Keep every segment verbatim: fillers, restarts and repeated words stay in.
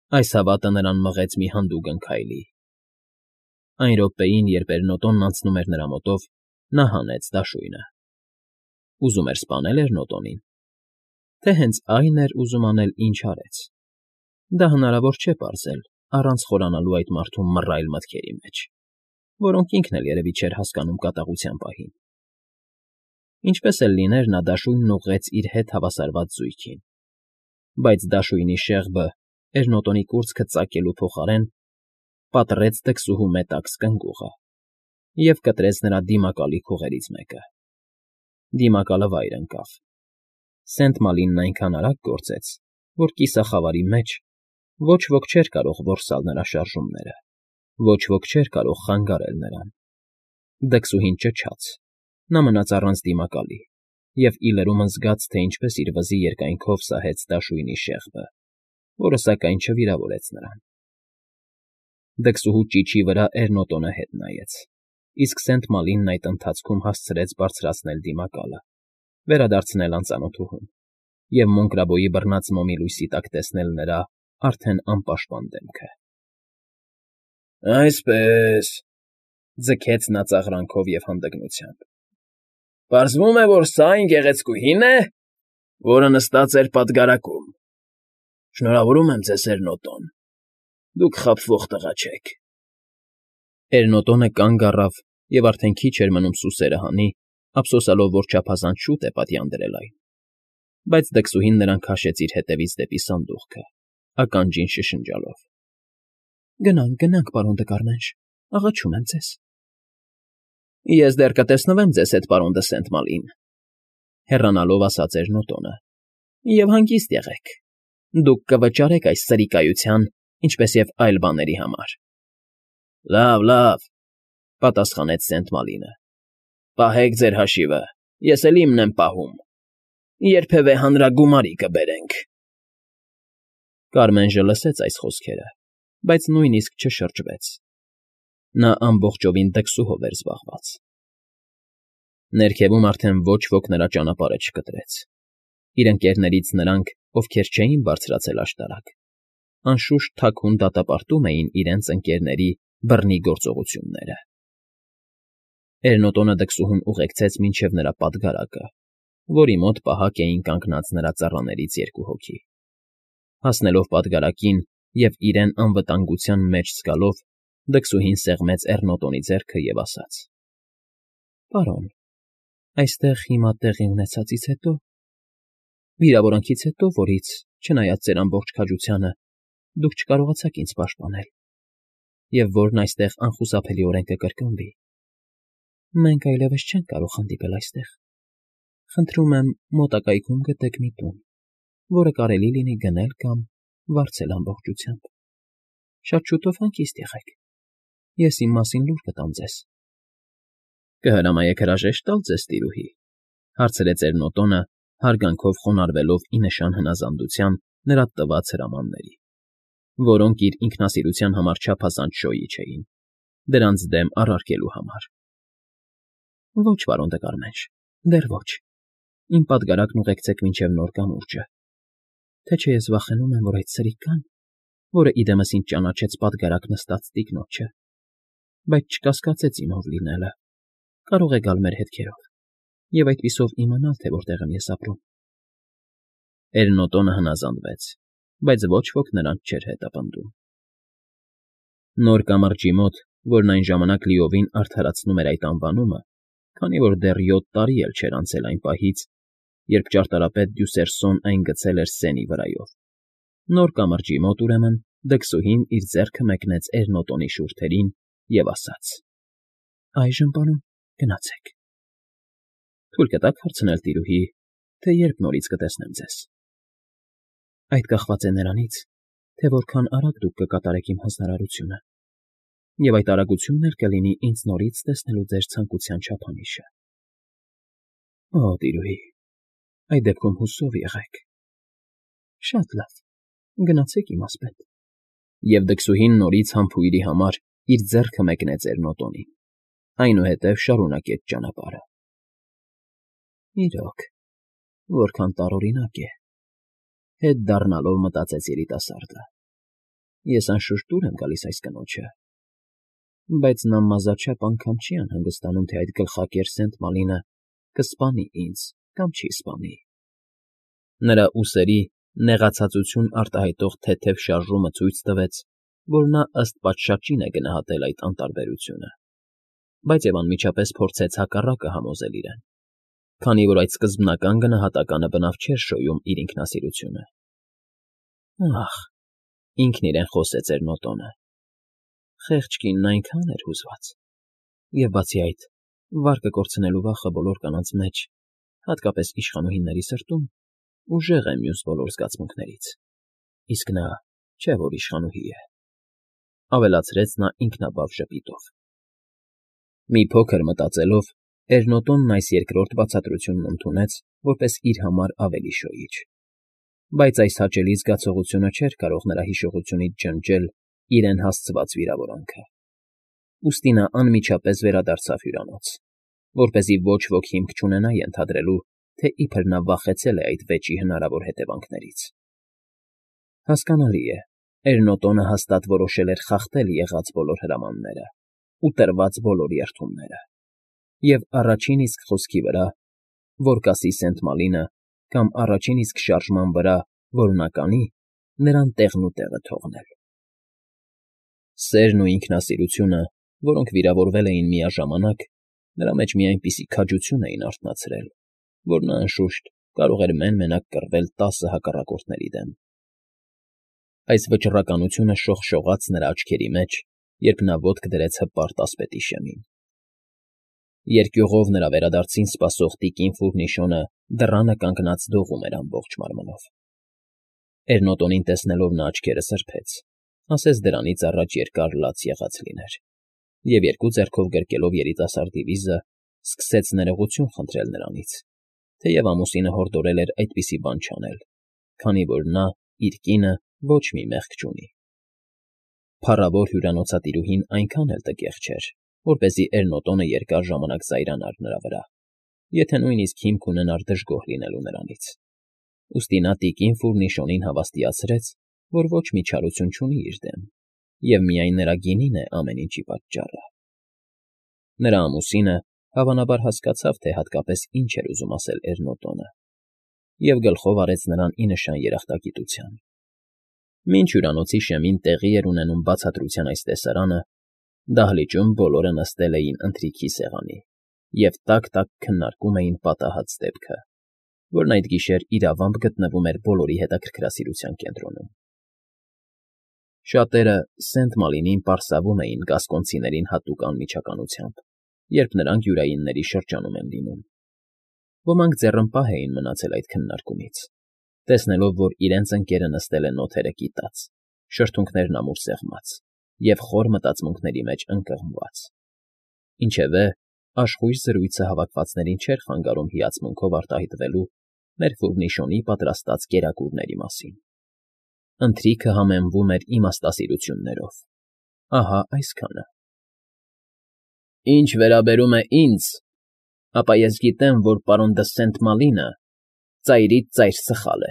Այս հավատը նրան մղեց մի հանդուգն քայլի. այն րոպեին, երբ Էրնոտոնն անցնում էր նրա մոտով, նա հանեց դաշույնը. ուզում էր սպանել Էրնոտոնին, թե հենց այն էր ուզում անել, ինչ արեց. դա հնարավոր չէ պարզել առանց խորանալու այդ մարդու մռայլ մտքերի մեջ, որոնք ինքն էլ երևի չէր հասկանում կատաղության պահին. ինչպես էլ լիներ, նա դաշույնն ուղղեց իր հետ հավասարված զույգին, բայց դաշույնի շեղբը, Էրնոտոնի կուրծքը ծակելու փոխարեն, պատռեց դքսուհու մետաքս կնգուղը և կտրեց նրա դիմակալի քուղերից մեկը. դիմակալը վայր ընկավ. Սենտ Մալինն այնքան արագ գործեց, որ կիսախավարի մեջ ոչ ոք չէր կարող որսալ նրա շարժումները, ոչ ոք չէր կարող խանգարել նրան. դքսուհին ճչաց, նա մնաց առանց դիմակալի և ի լրումն զգաց, թե ինչպես իր վզի երկայնքով սահեց դաշույնի շեղբը, որը սակայն չվիրավորեց նրան. դքսուհու ճիչի վրա Էրնոտոնը հետ նայեց, իսկ Սենտ Մալինն այդ ընթացքում հասցրեց բարձրացնել դիմակալը, վերադարձնել անծանոթուհուն և Մոնկրաբոյի բռնած մոմի լույսի տակ տեսնել նրա արդեն անպաշտպան դեմքը։ ֊ Այսպես,֊ ձգեց նա ծաղրանքով և հանդգնությամբ,֊ պարզվում է, որ սա այն գեղեցկուհի՞ն է, որը նստած էր պատգարակում… Շնորհավորում եմ ձեզ, Էրնոտոն, դուք խաբվող տղա չեք… Էրնոտոնը կանգ առավ և արդեն քիչ էր մնում սուսերը հանի, ափսոսալով, որ չափազանց շուտ է պատյան դրել այն, բայց դքսուհին նրան քաշեց իր ետևից դեպի սանդուղքը, ականջին շշնջալով. ֊ Գնանք, գնանք, պարոն Դկարմենշ, աղաչում եմ ձեզ… ֊ Ես դեռ կտեսնվեմ ձեզ հետ, պարոն դը Սենտ Մալին,֊ հեռանալով ասաց Էրնոտոնը,֊ և հանգիստ եղեք, դուք կվճարեք այս սրիկայության, ինչպես և այլ բաների համար։ ֊ Լավ, լավ,֊ պատասխանեց Սենտ Մալինը,֊ պահեք ձեր հաշիվը, ես էլ իմն եմ պահում… Երբևէ հանրագումարի կբերենք… Կարմենժը լսեց այս խոսքերը, բայց նույնիսկ չշրջվեց. նա ամբողջովին դքսուհով էր զբաղված… Ներքևում արդեն ոչ ոք նրա ճանապարհը չկտրեց. իր ընկներներից նրանք, ովքեր չէին բարձրացել աշտարակ, անշուշտ թաքուն դատապարտում էին իրենց ընկներների բռնի գործողությունները… Էրնոտոնը դքսուհուն ուղեկցեց մինչև նրա պատգարակը, որի մոտ պահակ էին կանգնած նրա ծառաներից երկու հոգի… Հասնելով պատգարակին և իրեն անվտանգության մեջ զգալով, դքսուհին սեղմեց Էրնոտոնի ձեռքը և ասաց. ֊ Պարոն, այստեղ հիմա տեղի ունեցածից հետո, վիրավորանքից հետո, որից, չնայած ձեր ամբողջ քաջությանը, դուք չկարողացաք ինձ պաշտպանել, և որն այստեղ անխուսափելիորեն կկրկնվի, մենք այլևս չենք կարող հանդիպել այստեղ… Խնդրում եմ մոտակայքում գտեք մի տուն, որը կարելի լինի գնել կամ վարձել ամբողջությամբ… Շատ շուտով հանգիստ եղեք, ես իմ մասին լուր կտամ ձեզ… ֊ Կհրամայեք հրաժեշտ տալ ձեզ, տիրուհի,֊ հարցրեց Էրնոտոնը, հարգանքով խոնարհվելով ի նշան հնազանդության նրա տված հրամանների, որոնք իր ինքնասիրության համար չափազանց շոյի չէին, դրանց դեմ առարկելու համար։ ֊ Ոչ, պարոն Դկարմենշ, դեռ ոչ… Իմ պատգարակն ուղեկցեք մինչև նոր կամուրջը, թե չէ ես վախենում եմ, որ այդ սրիկան, որը ի դեմս ինձ ճանաչեց պատգարակ նստած տիկնոջը, բայց չկասկածեց իմ ով լինելը, կարող է գալ մեր հետքերով և այդպիսով իմանալ, թե որտեղ եմ ես ապրում… Էրնոտոնը հնազանդվեց, բայց ոչ ոք նրանց չէր հետապնդում… Նոր կամրջի մոտ, որն այն ժամանակ լիովին արդարացնում էր այդ անվանումը, քանի որ դեռ յոթ տարի էլ չէր անցել այն պահից, երբ ճարտարապետ Դյուսերսոն այն գցել էր Սենի վրայով, նոր կամրջի մոտ, ուրեմն, դքսուհին իր ձեռքը մեկնեց Էրնոտոնի շուրթերին և ասաց. ֊ Այժմ, պարոն, գնացեք… ֊ Թույլ կտա՞ք հարցնել, տիրուհի, թե երբ նորից կտեսնեմ ձեզ… ֊ Այդ կախված է նրանից, թե որքան արագ դուք կկատարեք իմ հանձնարարությունը, և այդ արագությունն էլ կլինի ինձ նորից տեսնելու ձեր ցանկության չափանիշը… ֊ Օ, տիրուհի, այդ դեպքում հուսով եղեք… ֊ Շատ լավ, գնացեք, իմասպետ… Եվ դքսուհին նորից համբույրի համար իր ձեռքը մեկնեց Էրնոտոնին, այնուհետև շարունակեց ճանապարհը… Իրոք, որքան տարօրինակ է, հետ դառնալով մտածեց երիտասարդը։ Ես անշուշտ դուր եմ գալիս այս կնոջը, բայց նա մազաչափ անգամ չի անհանգստանում, թե այդ գլխակեր Սենտ Մալինը կսպանի ինձ կամ չի սպանի։ Նրա ուսերի նեղացածություն արտահայտող թեթև շարժումը ցույց տվեց, որ նա ըստ պատշաճին է գնահատել այդ անտարբերությունը, բայց և անմիջապես փորձեց հակառակը համոզել իրեն, քանի որ այդ սկզբնական գնահատականը բնավ չէր շոյում իր ինքնասիրությունը։ Ախ, ինքն իրեն խոսեց Էրնոտոնը։ Խեղճ կինն այնքան էր հուզված, և բացի այդ, վարկը կորցնելու վախը բոլոր կանանց մեջ, հատկապես իշխանուհիների սրտում, ուժեղ է մյուս բոլոր զգացմունքներից, իսկ նա չէ որ իշխանուհի է,֊ ավելացրեց նա ինքնաբավ ժպիտով։ Մի փոքր մտածելով, Էրնոտոնն այս երկրորդ բացատրությունն ընդունեց որպես իր համար ավելի շոյիչ, բայց այս հաճելի զգացողությունը չէր կարող նրա հիշողությունից ջնջել իրեն հասցված վիրավորանքը, ուստի նա անմիջապես վերադարձավ հյուրանոց, որպեսզի ոչ ոք հիմք չունենա ենթադրելու, թե իբր նա վախեցել է այդ վեճի հնարավոր հետևանքներից։ Հասկանալի է, Էրնոտոնը հաստատ որոշել էր խախտել եղած բոլոր հրամանները ու տրված բոլոր երդումները, և առաջին իսկ խոսքի վրա, որ կասի Սենտ Մալինը, կամ առաջին իսկ շարժման վրա, որ նա կանի, նրան տեղնուտեղը թողնել։ Սերն ու ինքնասիրությունը, որոնք վիրավորվել էին միաժամանակ, նրա մեջ մի այնպիսի քաջություն էին արթնացրել, որ նա, անշուշտ, կարող էր մեն֊մենակ կռվել տասը հակառակորդների դեմ։ Այս վճռականությունը շողշողաց նրա աչքերի մեջ, երբ նա ոտք դրեց հպարտ ասպետի շեմին։ Երկյուղով նրա վերադարձին սպասող տիկին Ֆուրնիշոնը դռանը կանգնած դողում էր ամբողջ մարմնով։ Էրնոտոնին տեսնելով նա աչքերը սրբեց, ասես դրանից առաջ երկար լաց եղած լիներ, և երկու ձեռքով գրկելով երիտասարդի վիզը, սկսեց ներողություն խնդրել նրանից, թեև ամուսինը հորդորել էր այդպիսի բան չանել, քանի որ նա, իր կինը, ոչ մի մեղք չունի։ Փառավոր հյուրանոցատիրուհին այնքան էլ տգեղ չէր, որպեսզի Էրնոտոնը երկար ժամանակ զայրանար նրա վրա, եթե նույնիսկ հիմք ունենար դժգոհ լինելու նրանից, ուստի նա տիկին Ֆուրնիշոնին հավաստիացրեց, որ ոչ մի չարություն չունի իր դեմ, և միայն նրա գինին է ամեն ինչի պատճառը։ Նրա ամուսինը, հավանաբար, հասկացավ, թե հատկապես ինչ էր ուզում ասել Էրնոտոնը, և գլխով արեց նրան ի նշան երախտագիտության։ Մինչ հյուրանոցի շեմին տեղի էր ունենում բացատրության այս տեսարանը, դահլիճում բոլորը նստել էին ընթրիքի սեղանի և տաք֊տաք քննարկում էին պատահած դեպքը, որն այդ գիշեր իրավամբ գտնվում էր բոլորի հետաքրքրասիրության կենտրոնում։ Շատերը Սենտ Մալինին պարսավում էին գասկոնցիներին հատուկ անմիջականությամբ, երբ նրանք յուրայինների շրջանում են լինում։ Ոմանք ձեռնպահ էին մնացել այդ քննարկումից, տեսնելով, որ իրենց ընկերը նստել է նոթերը կիտած, շրթունքներն ամուր սեղմած և խոր մտածմունքների մեջ ընկղմված։ Ինչևէ, աշխույժ զրույցը հավաքվածներին չէր խանգարում հիացմունքով արտահայտվելու մեր Ֆուրնիշոնի պատրաստած կերակուրների մասին։ Ընթրիքը համեմվում էր իմաստասիրություններով, ահա այսքանը. Ինչ վերաբերում է ինձ, ապա ես գիտեմ, որ պարոն դը Սենտ Մալինը ծայրից ծայր սխալ է,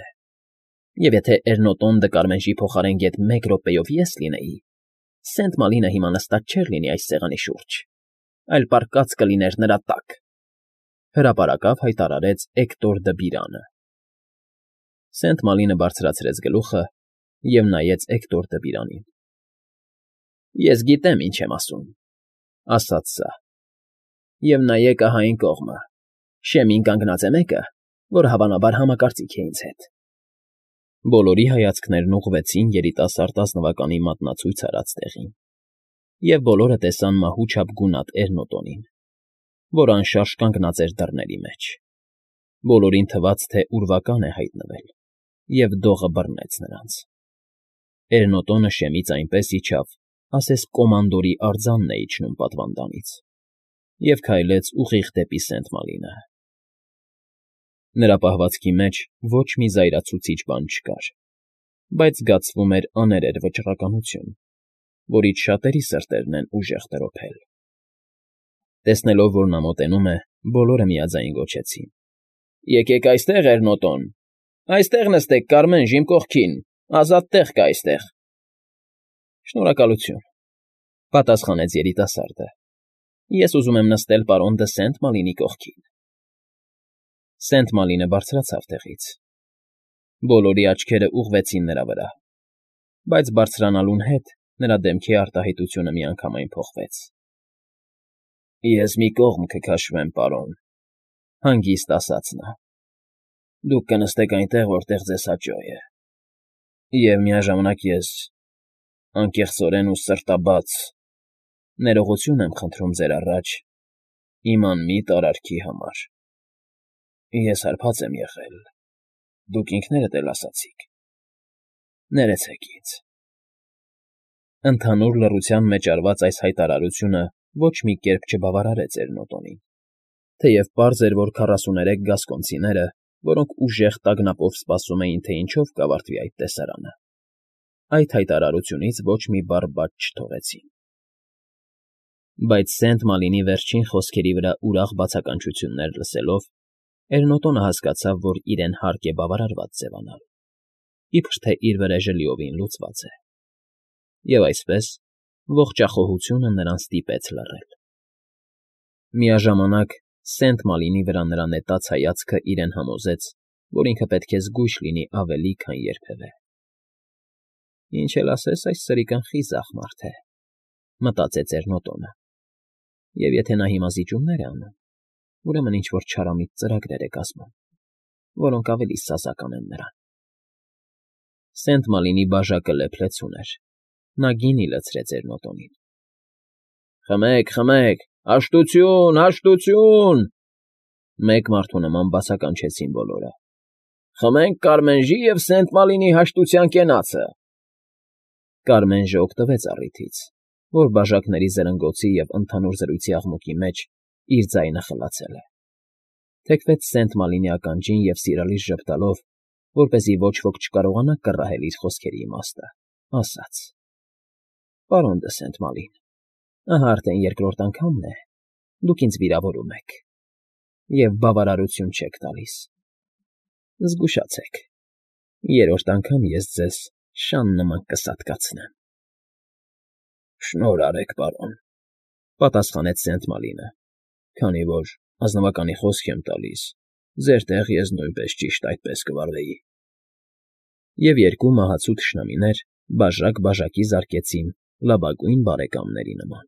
և եթե Էրնոտոն դը Կարմենժի փոխարեն գեթ մեկ րոպեով ես լինեի, Սենտ Մալինը հիմա նստած չէր լինի այս սեղանի շուրջ, այլ պառկած կլիներ նրա տակ,֊ հրապարակավ հայտարարեց Էկտոր դը Բիրանը։ Սենտ Մալինը բարձրացրեց գլուխը և նայեց Էկտոր դը Բիրանին։ Ես գիտեմ, ինչ եմ ասում,֊ ասաց սա,֊ և նայեք ահա այն կողմը, շեմին կանգնած է մեկը, որ հավանաբար համակարծիք է ինձ հետ։ Բոլորի հայացքներն ուղղվեցին երիտասարդ ազնվականի մատնացույց արած տեղին, և բոլորը տեսան մահու չափ գունատ Էրնոտոնին, որ անշարժ կանգնած էր դռների մեջ։ Բոլորին թվաց, թե ուրվական է հայտնվել, և դողը բռնեց նրանց։ Էրնոտոնը շեմից այնպես իջավ, ասես կոմանդորի արձանն է իջնում պատվանդանից, և քայլեց ուղիղ դեպի Սենտ Մալինը։ Նրա պահվածքի մեջ ոչ մի զայրացուցիչ բան չկար, բայց զգացվում էր աներեր վճռականություն, որից շատերի սրտերն են ուժեղ տրոփել։ Տեսնելով, որ նա մոտենում է, բոլորը միաձայն գոչեցին. «Եկեք այստեղ, Էրնոտոն, այստեղ նստեք, Կարմենժ, իմ կողքին, ազատ տեղ կա այստեղ»։ Շնորհակալություն,֊ պատասխանեց երիտասարդը։ Ես ուզում եմ նստել պարոն դը Սենտ Մալինի կողքին։ Սենտ Մալինը բարձրացավ տեղից։ Բոլորի աչքերը ուղղվեցին նրա վրա, բայց բարձրանալուն հետ նրա դեմքի արտահայտությունը միանգամայն փոխվեց։ ֊ Ես մի կողմ կքաշվեմ, պարոն,֊ հանգիստ ասաց նա։ Դուք կնստեք այնտեղ, որտեղ ձեզ հաճո է, և միաժամանակ ես, անկեղծորեն ու սրտաբաց, ներողություն եմ խնդրում ձեր առաջ իմ անմիտ արարքի համար։ Ես հարբած եմ եղել, դուք ինքներդ էլ ասացիք, ներեցեք ինձ… Ընդհանուր լռության մեջ արված այս հայտարարությունը ոչ մի կերպ չբավարարեց Էրնոտոնին, թեև պարզ էր, որ քառասուներեք գասկոնցիները, որոնք ուժեղ տագնապով սպասում էին, թե ինչով կավարտվի այդ տեսարանը, այդ հայտարարությունից ոչ մի բառ բաց չթողեցին։ Բայց Սենտ Մալինի վերջին խոսքերի վրա ուրախ բացականչություններ լսելով, Էրնոտոնը հասկացավ, որ իրեն հարկ է բավարարված ձևանալ, իբր թե իր վրեժը լիովին լուծված է, և այսպես ողջախոհությունը նրան ստիպեց լռել։ Միաժամանակ Սենտ Մալինի վրա նրա նետած հայացքը իրեն համոզեց, որ ինքը պետք է զգույշ լինի ավելի, քան երբևէ։ «Ինչ էլ ասես, այս սրիկն խիզախ մարդ է,֊ մտածեց Էրնոտոնը,֊ և եթե նա հիմա զիջումներ է անում, ուրեմն ինչ֊որ չարամիտ ծրագրեր է կազմում, որոնք ավելի սազական են նրան»։ Սենտ Մալինի բաժակը լեփ֊լեցուն էր, նա գինի լցրեց Էրնոտոնին։ «Խմեք, խմեք, հաշտությո՛ւն, հաշտությո՛ւն,֊ մեկ մարդու նման բացականչեցին բոլորը։ Խմենք Կարմենժի և Սենտ Մալինի հաշտության կենացը։ Կարմենժը օգտվեց առիթից, որ բաժակների զրնգոցի և ընդհանուր զրույցի աղմուկի մեջ իր ձայնը խլացել է, թեքվեց Սենտ Մալինի ականջին և սիրալիր ժպտալով, որպեսզի ոչ ոք չկարողանա կռահել իր խոսքերի իմաստը, ասաց. «Պարոն դը Սենտ Մալին, ահա արդեն երկրորդ անգամն է, դուք ինձ վիրավորում եք և բավարարություն չեք տալիս։ Զգուշացեք, երրորդ անգամ ես ձեզ շան նման կսատկացնեմ»։ ֊ Շնորհ արեք, պարոն,֊ պատասխանեց Սենտ Մալինը,֊ քանի որ, ազնվականի խոսք եմ տալիս, ձեր տեղ ես նույնպես ճիշտ այդպես կվարվեի։ Եվ երկու մահացու թշնամիներ բաժակ բաժակի զարկեցին լավագույն բարեկամների նման։